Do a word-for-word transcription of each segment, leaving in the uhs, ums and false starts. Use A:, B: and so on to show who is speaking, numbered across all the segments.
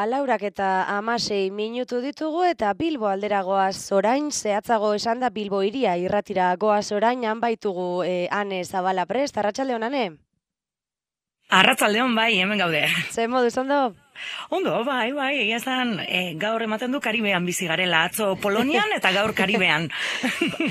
A: Ba, laurak eta amasei minutu ditugu eta Bilbo alderagoaz orain, zehatzago esan da Bilbo iria irratira goaz orain, han baitugu eh, Ane Zabala prest, arratsaldeon Ane?
B: Arratsaldeon bai, hemen gaude.
A: Ze moduz ondo?
B: Ondo, bai, bai, egia esan, e, gaur ematen du Karibean bizi garela, atzo Polonian eta gaur Karibean.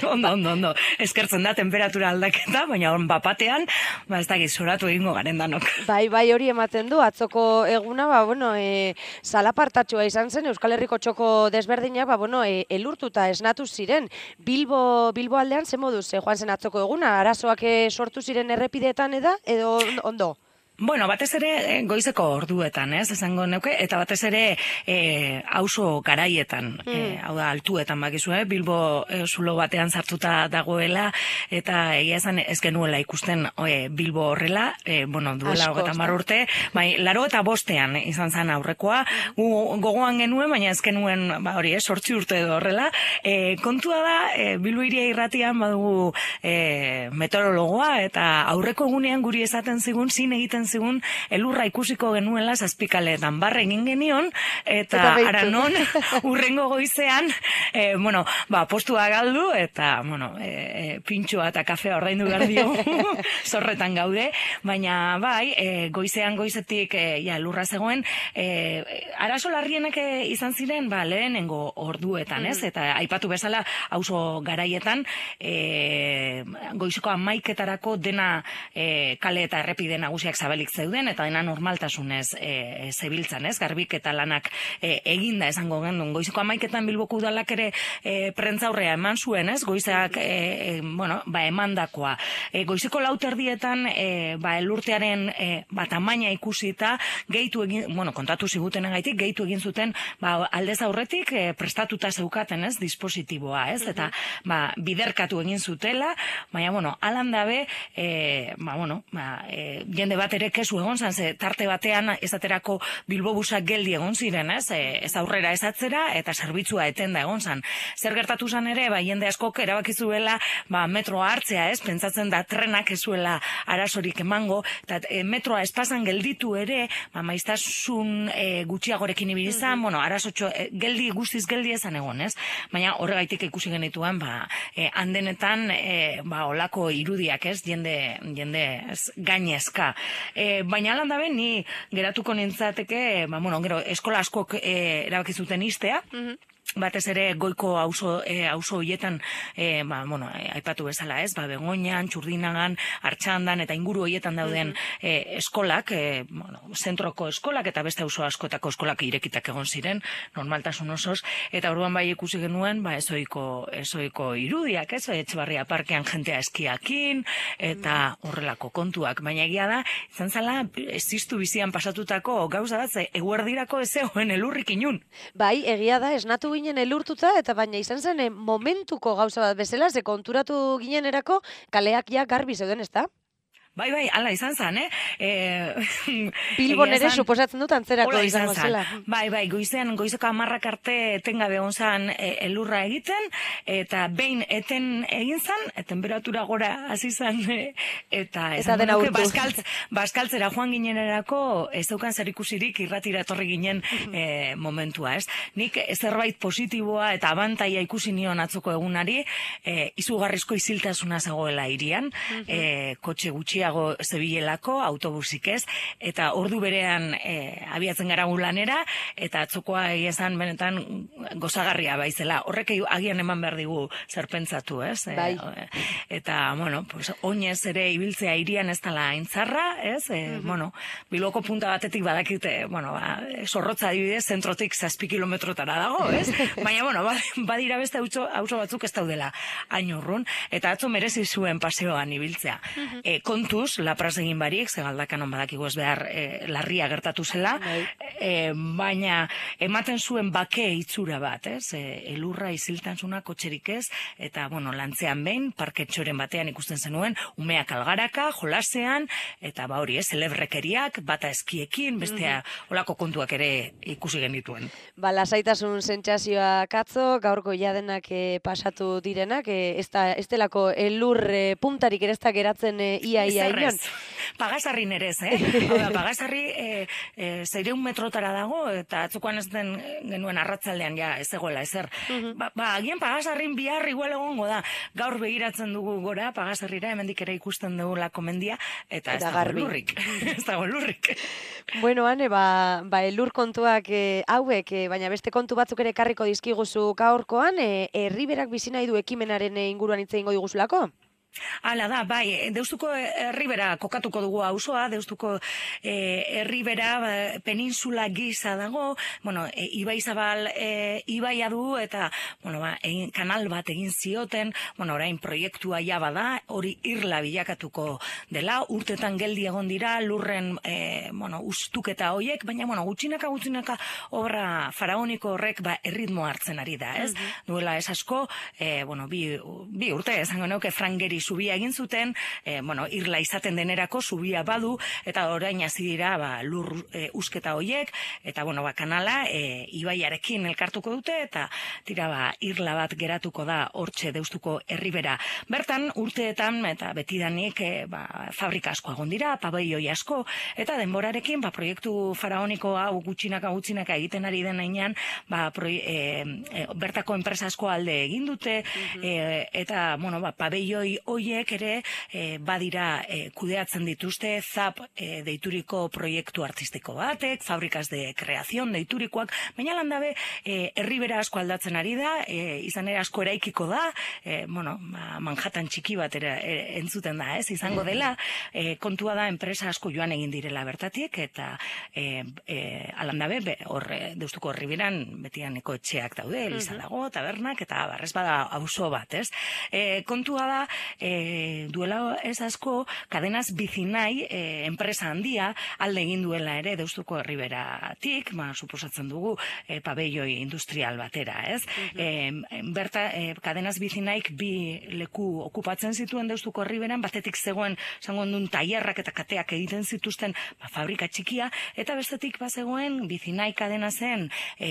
B: ondo, ondo, ondo. Eskertzen da temperatura aldaketa, baina hon bapatean, ba ez dakit soratu egingo garen danok.
A: Bai, bai, hori ematen du, atzoko eguna, ba, bueno, e, salapartatxoa izan zen, Euskal Herriko txoko desberdinak, ba, bueno, e, elurtuta esnatu ziren. Bilbo, Bilbo aldean, ze moduz, e, joan zen atzoko eguna, arazoak e, sortu ziren errepideetan eda, edo ondo?
B: Bueno, batez ere goizeko orduetan, ez, esango neuke, eta batez ere e, auzo garaietan, mm. e, hau da, altuetan bakizu, eh? Bilbo e, zulo batean sartuta dagoela, eta egia esan ez genuela ikusten e, Bilbo horrela, e, bueno, duela hogeita hamar urte, bai, laro eta bostean izan zen aurrekoa, gu gogoan genuen, baina ez genuen, ba, hori, eh, sortzi urte edo horrela, e, kontua da, e, Bilbo iria irratian badugu e, meteorologoa, eta aurreko egunean guri esaten zigun, zin egiten zigun elurra ikusiko genuela zazpikaleetan barre egin genion, eta, eta ara non urrengo goizean, e, bueno, ba, postua galdu, eta, bueno, e, pintxoa eta kafea ordaindu behar dio, zorretan gaude, baina bai, e, goizean goizetik e, ja, elurra zegoen, e, arazo larrienek izan ziren, ba, lehenengo orduetan, ez? Eta aipatu bezala, auzo garaietan, e, goizeko amaiketarako dena e, kale eta errepide nagusiak zabalik zeuden, eta dena normaltasunez e, zebiltzan, ez? Garbik eta lanak e, eginda esango gendun. Goizeko amaiketan Bilboko udalak ere e, prentzaurrea eman zuen, ez? Goizak, e, e, bueno, ba, emandakoa. E, goizeko lauterdietan, e, ba, elurtearen e, ba, tamaina ikusita, gehitu egin, bueno, kontatu zigutenengaitik, gehitu egin zuten, ba, aldez aurretik e, prestatuta zeukaten, ez? Dispositiboa, ez? Eta, ba, biderkatu egin zutela, baina, bueno, alan dabe, e, ba, bueno, ba, e, jende bat ere kesu egon zan, ze tarte batean esaterako Bilbobusak geldi egon ziren, ez? E, ez aurrera ez atzera, eta zerbitzua etenda egon zan. Zer gertatu zan ere, ba, jende askok erabakizuela, ba, metroa hartzea, ez? Pentsatzen da trenak ezuela arazorik emango, eta e, metroa espazan gelditu ere, ba, maiztasun e, gutxiagorekin ibilizan, mm-hmm. bueno, arazotxo, e, geldi, guztiz geldi ezan egon, ez? Baina horregaitik ikusi genituen, ba, e, handenetan, e, ba, olako irudiak, ez? Jende, jende, ez, gainezka. E, baina alan dabe, ni geratuko nintzateke, ba, bueno, gero, eskola askok e, erabakizuten iztea, mm-hmm. batez ere goiko auzo e, auzo hoietan e, ba, bueno, e, aipatu bezala, ez? Ba, Begoñan, Txurdinagan, Artxandan eta inguru hoietan dauden mm-hmm. e, eskolak, e, bueno, zentroko eskolak eta beste auzo askotako eskolak irekitak egon ziren, normaltasun osoz, eta orduan bai ikusi genuen, ba, ezoiko, ezoiko irudiak, ez? Etxebarria parkean jentea eskiakin, eta horrelako kontuak, baina egia da, izan zala, existu bizian pasatutako gauza bat, ze eguerdirako ez zegoen elurrik inun.
A: Bai, egia da, esnatu ginen elurtuta, eta baina izan zen momentuko gauza bat bezala, ze konturatu ginen erako, kaleak ja garbi zeuden, ez da?
B: Bai, bai, ala izan zan, eh? E,
A: Bilbon ere suposatzen dut antzerako izango zela.
B: Bai, bai, goizean, goizeko amarrak arte etengabe egon zan e, elurra egiten, eta behin eten egin zan, e, temperatura gora hasi zan, e, eta
A: eta dena urtu.
B: Baskaltz, baskaltzera joan ginenerako, ez daukan zer ikusirik irratira etorri ginen e, momentua, ez? Nik zerbait positiboa eta abantaia ikusi nion atzoko egunari, e, izugarrizko isiltasuna zegoela hirian, e, kotxe gutxi zebilelako, autobusik ez, eta ordu berean e, abiatzen gara lanera, eta atzokoa egiezan benetan gozagarria baizela. Horrek agian eman behar digu zer pentsatu, ez?
A: Bai.
B: E, eta, bueno, pues, oinez ere ibiltzea hirian ez dela aintzarra, ez? E, mm-hmm. Bueno, Bilboko punta batetik badakite, bueno, ba, zorrotza adibidez, zentrotik zazpi kilometrotara dago, ez? Baina, bueno, badira beste auzo batzuk ez daudela hain urrun, eta atzo merezi zuen paseoan ibiltzea. Mm-hmm. E, kontu kontuz, lapraz egin barik, ze galdakan on badakigu ez behar e, larria gertatu zela, e, baina ematen zuen bake itzura bat, ez? E, elurra iziltanzuna kotxerik ez, eta, bueno, lantzean behin, parketxoren batean ikusten zenuen, umeak algaraka, jolasean, eta ba hori, ez, celebrekeriak, bata eskiekin, bestea, mm-hmm. olako kontuak ere ikusi genituen.
A: Ba, lasaitasun sentsazioa katzo, gaurko jadenak e, pasatu direnak, e, ez, da, ez delako elur e, puntarik ere ez da geratzen e, ia ia ia inon.
B: Pagasarrin ere ez, eh? Hau da, Pagasarri e, e, zeireun metrotara dago, eta atzokoan ez den genuen arratzaldean ja ez egoela ezer.
A: Mhm.
B: Ba, ba, agian Pagasarrin bihar igual egongo da. Gaur begiratzen dugu gora, Pagasarrira, hemendik ere ikusten dugu lako mendia, eta,
A: Eta
B: ez dago
A: garbi.
B: lurrik. Ez dago lurrik.
A: Bueno, Ane, ba, ba elur kontuak e, hauek, e, baina beste kontu batzuk ere karriko dizkiguzu gaurkoan, e, herriberak bizi nahi du ekimenaren e, inguruan hitz egingo diguzulako?
B: Hala da, bai, deustuko herribera kokatuko dugu auzoa, deustuko eh, herribera ba, peninsula gisa dago, bueno, e, Ibai Zabal e, ibaia du eta, bueno, ba, egin, kanal bat egin zioten, bueno, orain proiektua ja bada, hori irla bilakatuko dela, urtetan geldi egon dira, lurren, e, bueno, ustuketa hoiek, baina, bueno, gutxinaka, gutxinaka obra faraoniko horrek, ba, erritmo hartzen ari da, ez? Mm-hmm. Duela ez asko, e, bueno, bi, bi urte, esango neuke Frangeri zubia egin zuten, e, bueno, irla izaten denerako zubia badu, eta orain hasi dira ba, lur e, usketa hoiek, eta bueno, ba, kanala e, ibaiarekin elkartuko dute, eta tira ba, irla bat geratuko da hortxe deustuko herribera. Bertan, urteetan, eta betidanik, e, ba, fabrika asko egon dira, pabelloi asko, eta denborarekin, ba, proiektu faraoniko hau gutxinaka gutxinaka egiten ari den heinean, ba, proi, e, e, bertako enpresa asko alde egin dute, mm-hmm. e, eta, bueno, ba, pabelloi hoiek ere e, badira e, kudeatzen dituzte zap e, deituriko proiektu artistiko batek, fabrikas de kreazion deiturikoak, baina landabe e, herribera asko aldatzen ari da, e, izan ere asko eraikiko da, e, bueno, ba, Manhattan txiki bat ere, e, entzuten da, ez, izango dela, e, kontua da enpresa asko joan egin direla bertatik, eta e, e, alandabe, be, hor, deustuko herriberan betianeko etxeak daude, eliza dago, tabernak, eta barrez bada auzo bat, ez. E, kontua da, E, duela ez asko, kadenaz bizinai e, enpresa handia alde egin duela ere deustuko herriberatik, ma suposatzen dugu e, pabelloi industrial batera, ez? Mm-hmm. e, berta, e, kadenaz bizinaik bi leku okupatzen zituen deustuko herriberan, batetik zegoen, zango duen tailerrak eta kateak egiten zituzten ba, fabrika txikia, eta bestetik bazegoen bizinai kadena zen e,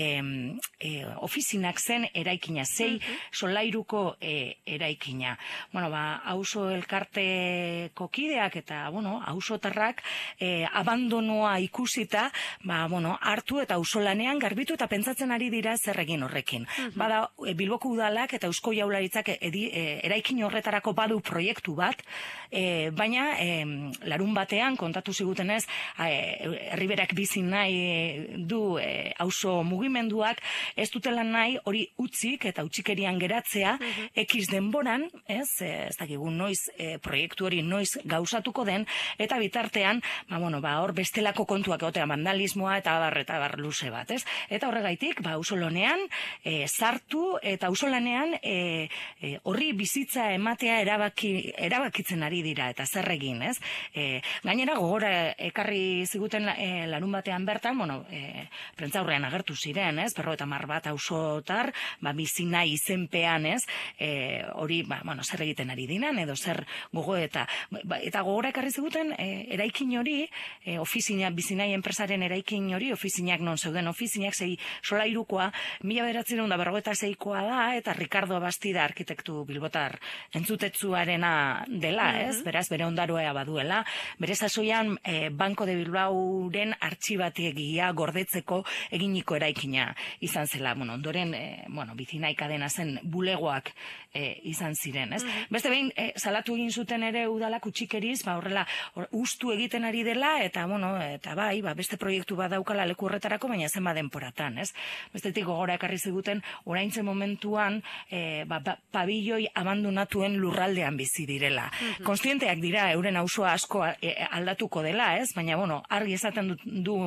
B: e, ofizinak zen eraikina, zei mm-hmm. solairuko e, eraikina. Bueno, ba, auzo elkarteko kideak eta, bueno, auzotarrak eh, abandonoa ikusita, ba, bueno, hartu eta auzolanean garbitu eta pentsatzen ari dira zer egin horrekin. Mm-hmm. Bada, e, Bilboko udalak eta Eusko Jaurlaritzak edi, e, eraikin horretarako badu proiektu bat, e, baina e, larun batean kontatu zigutenez, herriberak bizi nahi du e, auzo mugimenduak, ez dutela nahi hori utzik eta utzikerian geratzea, mm-hmm. ekiz denboran, ez, ez dakigu noiz e, proiektu hori noiz gauzatuko den, eta bitartean, ba, bueno, ba, hor bestelako kontuak egotea, vandalismoa eta abar eta abar luze bat, ez? Eta horregaitik, ba, auzolanean e, sartu eta auzolanean e, e, horri bizitza ematea erabaki, erabakitzen ari dira, eta zer egin, ez? E, gainera, gogora ekarri ziguten e, larun batean bertan, bueno, e, prentzaurrean agertu ziren, ez? Perro eta mar bat auzotar, ba, bizina izenpean, ez? E, hori, ba, bueno, zer egiten ari dinan, edo zer gogo eta ba, eta gogora ekarri ziguten e, eraikin hori, e, ofizina, bizinai enpresaren eraikin hori, ofizinak non zeuden ofizinak, zei solairukoa, mila bederatzireun da berrogeita seikoa da, eta Ricardo Bastida arkitektu bilbotar entzutetzuarena dela, ez? Mm-hmm. Beraz, bere ondaroa baduela, bere sasoian e, Banco de Bilbaoren artxibategia gordetzeko eginiko eraikina izan zela, bueno, ondoren, e, bueno, bizinai kadena zen bulegoak e, izan ziren, ez? Mm-hmm. Beste behin, e, salatu egin zuten ere udalak utxikeriz, ba, horrela, or, ustu egiten ari dela, eta, bueno, eta bai, ba, beste proiektu bat daukala leku horretarako, baina zen ba denporatan, ez? Bestetik gogora ekarri ziguten, oraintze momentuan, e, ba, ba, pabilloi abandonatuen lurraldean bizi direla. Mm-hmm. Konstienteak dira, euren auzoa asko e, aldatuko dela, ez? Baina, bueno, argi esaten du, du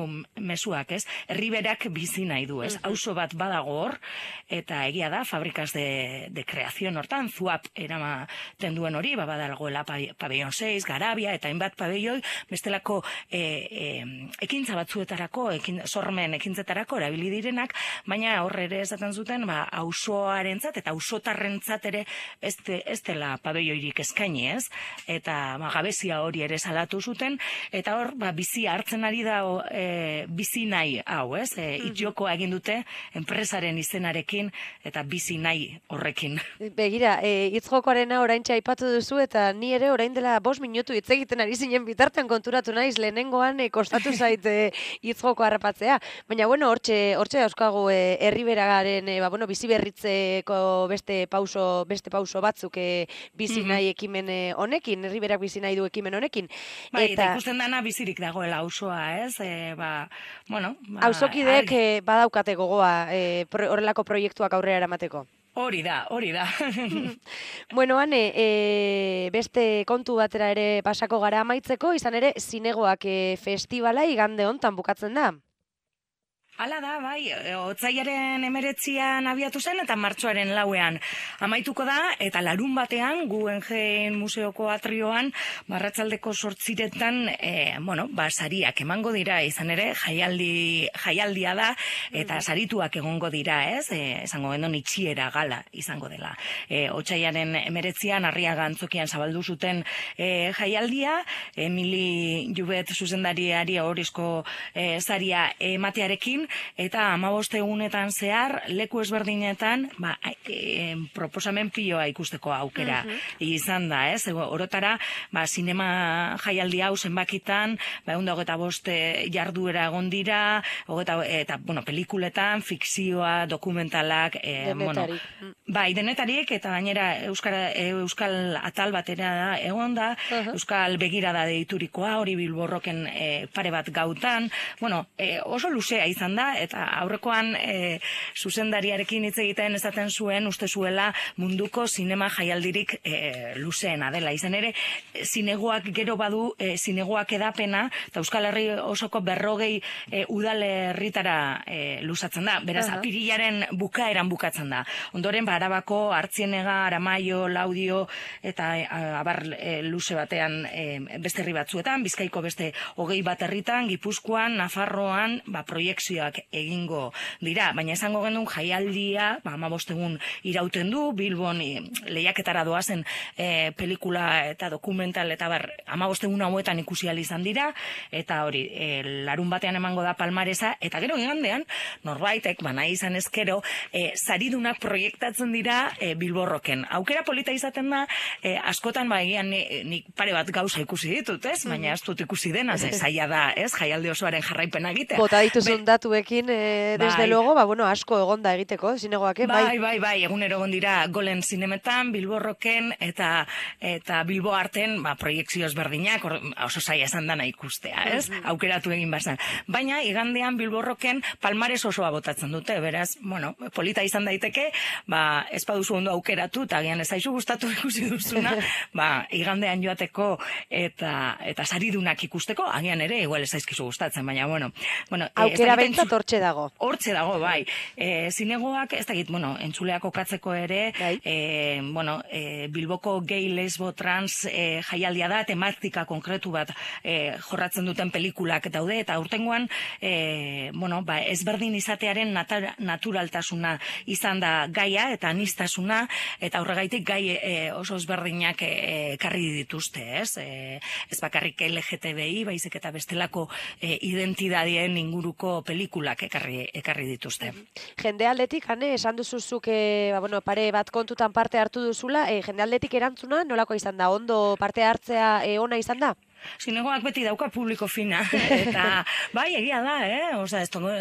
B: mezuak, ez? Herriberak bizi nahi du, ez? Mm-hmm. Auzo bat badago hor, eta egia da, fabrikas de, de kreazion hortan, zuap eramaten duen hori, ba, badalgoela pabellon seis, Garabia, eta hainbat pabelloi, bestelako e, e, ekintza batzuetarako, ekin, sormen ekintzetarako erabili direnak, baina horre ere esaten zuten, ba, auzoarentzat eta auzotarrentzat ere ez, de, ez dela pabelloirik eskaini, ez? Eta ba, gabezia hori ere salatu zuten, eta hor, ba, bizi hartzen ari da e, bizi nahi hau, ez? E, itxokoa egin dute enpresaren izenarekin eta bizi nahi horrekin.
A: Begira, e, hitz jokoarena oraintxe aipatu duzu eta ni ere orain dela bost minutu hitz egiten ari zinen bitartean konturatu naiz lehenengoan e, kostatu zait e, hitzjoko harrapatzea. Baina bueno, hortxe hortxe dauzkagu e, Erriberagaren e, ba, bueno, bizi berritzeko beste pauso beste pauso batzuk e, bizi nahi ekimen honekin, Erriberak bizi nahi du ekimen honekin.
B: Bai, eta ikusten dana bizirik dagoela auzoa, ez? E, ba, bueno, ba,
A: auzokideek e, badaukate gogoa e, pro, horrelako proiektuak aurrera eramateko.
B: Hori da, hori da.
A: Bueno, Ane, e, beste kontu batera ere pasako gara amaitzeko, izan ere, zinegoak e, festivala igande hontan bukatzen da.
B: Hala da, bai, otsailaren emeretzian abiatu zen eta martxoaren lauean amaituko da, eta larun batean, Guggenheim Museoko atrioan, barratzaldeko sortziretan, e, bueno, ba, sariak emango dira, izan ere, jaialdi, jaialdia da, eta sarituak egongo dira, ez? E, esango gendon itxiera gala izango dela. E, otsailaren emeretzian, Arriaga antzokian zabaldu zuten e, jaialdia, Emili Jubet zuzendariari ahorizko e, saria ematearekin, eta hamabost egunetan zehar leku ezberdinetan ba, e, proposamen piloa ikusteko aukera uh -huh. izan da, ez? Orotara, ba, sinema jaialdi hau zenbakitan, ba, ehun eta hogeita bost jarduera egon dira, hogeta, eta, bueno, pelikuletan, fikzioa, dokumentalak, e, bueno, bai, denetarik, eta gainera Euskara, Euskal atal batera da, egon da, uh -huh. Euskal begirada deiturikoa, hori Bilborroken e, pare bat gautan, bueno, e, oso luzea izan da, eta aurrekoan e, zuzendariarekin hitz egiten esaten zuen, uste zuela munduko sinema jaialdirik e, luzeena dela. Izan ere, zinegoak gero badu, e, zinegoak edapena, eta Euskal Herri osoko berrogei e, udalerritara e, luzatzen da. Beraz, uh-huh. apirilaren bukaeran bukatzen da. Ondoren, ba, Arabako, Artzienega, Aramaio, Laudio, eta e, abar e, luze batean e, beste herri batzuetan, Bizkaiko beste hogei bat herritan, Gipuzkoan, Nafarroan, ba, proiekzioak egingo dira, baina esango genuen jaialdia, ba, hamabost egun irauten du, Bilbon e, lehiaketara doazen e, pelikula eta dokumental eta bar, hamabost egun hauetan ikusi ahal izan dira, eta hori, e, larun batean emango da palmaresa, eta gero igandean, norbaitek, ba, nahi izan ezkero, e, saridunak proiektatzen dira e, Bilborroken. Aukera polita izaten da, e, askotan, ba, egian nik pare bat gauza ikusi ditut, ez? Baina ez dut ikusi dena, ze zaila da, ez? Jaialdi osoaren jarraipena egitea.
A: Bota dituzun datuekin, e, desde bai. Luego, ba, bueno, asko egonda egiteko, zinegoak, eh?
B: Bai, bai, bai, bai, egunero egon dira Golen zinemetan, Bilborroken, eta eta Bilbo arten, ba, proiekzio ezberdinak, oso zaila esan dana ikustea, ez? Mm-hmm. Aukeratu egin bazan. Baina, igandean Bilborroken palmares osoa botatzen dute, beraz, bueno, polita izan daiteke, ba, ez baduzu ondo aukeratu, eta agian ez zaizu gustatu ikusi duzuna, ba, igandean joateko, eta eta saridunak ikusteko, agian ere, igual ez zaizkizu gustatzen, baina, bueno, bueno,
A: aukera bentsat hortxe dago.
B: Hortxe dago, bai. E, zinegoak, ez dakit, bueno, entzuleak okatzeko ere, bai. e, bueno, e, Bilboko gay, lesbo, trans e, jaialdia da, tematika konkretu bat e, jorratzen duten pelikulak daude, eta urtengoan, e, bueno, ba, ezberdin izatearen natar, naturaltasuna izan da gaia, eta anistasuna, eta horregaitik gai e, oso ezberdinak ekarri e, dituzte, ez? E, ez bakarrik L G T B I, baizik eta bestelako e, identidadien inguruko pelikulak ekarri, ekarri dituzte.
A: Jende aldetik, Ane, esan duzuzuk, e, ba, bueno, pare bat kontutan parte hartu duzula, e, jende aldetik erantzuna nolako izan da? Ondo parte hartzea e, ona izan da?
B: Zinegoak beti dauka publiko fina, eta bai, egia da, eh? Osa, ez tongo,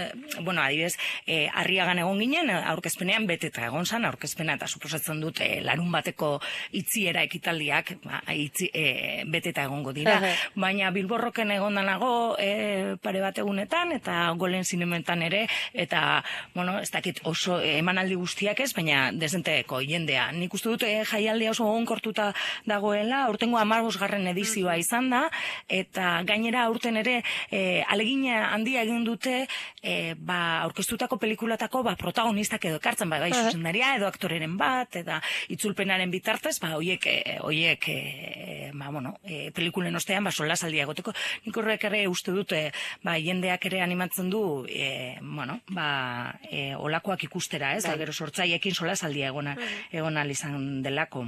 B: bueno, adibidez, eh, Arriagan egon ginen, aurkezpenean beteta egon zan, aurkezpena, eta suposatzen dut, eh, larun bateko itziera ekitaldiak, ba, itzi, eh, beteta egongo dira, baina Bilborroken egon danago, eh, pare bat egunetan, eta Golen zinemetan ere, eta, bueno, ez dakit oso eh, emanaldi guztiak ez, baina desenteko jendea. Nik uste dut, eh, jaialdia oso onkortuta dagoela, aurtengo hamabosgarren edizioa izan da, eta gainera aurten ere e, alegina handia egin dute e, ba, aurkeztutako pelikulatako ba, protagonistak edo ekartzen, ba, bai zuzendaria edo aktoreren bat, eta itzulpenaren bitartez, ba, oiek, e, oiek e, ba, bueno, e, pelikulen ostean, ba, solasaldia egoteko. Nik horrek ere uste dute, ba, jendeak ere animatzen du, e, bueno, ba, e, olakoak ikustera, ez? Da, gero sortzaiekin solasaldia egona, egon ahal izan delako.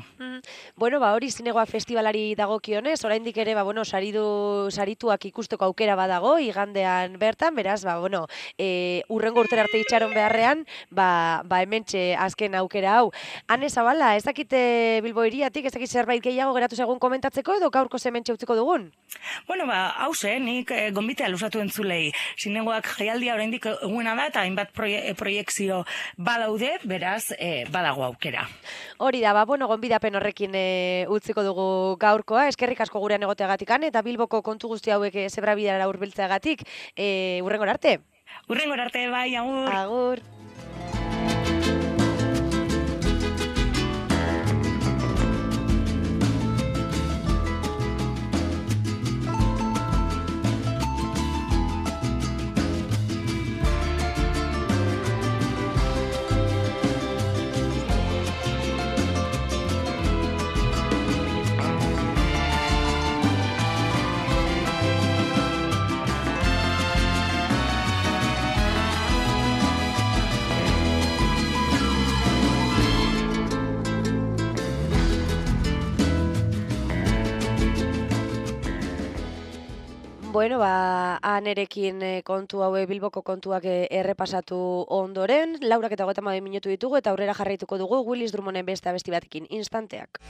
A: Bueno, ba, hori zinegoa festivalari dagokionez, oraindik ere, ba, bueno, saridu, sarituak ikusteko aukera badago, igandean bertan, beraz, ba, bueno, e, urrengo urtera arte itxaron beharrean, ba, ba, hementxe azken aukera hau. Ane Zabala, ez dakite Bilbo hiriatik, ez dakit zerbait gehiago geratu segun komentatzeko, edo gaurko hementxe utziko dugun?
B: Bueno, ba, hause, nik e, gonbitea lusatu entzulei. Zinegoak jaialdia oraindik eguena da, eta hainbat proie, proiekzio badaude, beraz, e, badago aukera.
A: Hori da, ba, bueno, gonbidapen horrekin e, utziko dugu gaurkoa, eskerrik asko gurean egoteagatikan, eta Bilboko kontu guzti hauek e, zebrabidara hurbiltzeagatik, e, urrengor arte.
B: Urrengor arte, bai, agur.
A: Agur. Bueno, ba, anerekin kontu haue Bilboko kontuak errepasatu ondoren, laurak eta hogeita hamabi minutu ditugu eta aurrera jarraituko dugu Willis Drummonden beste abesti batekin, Instanteak.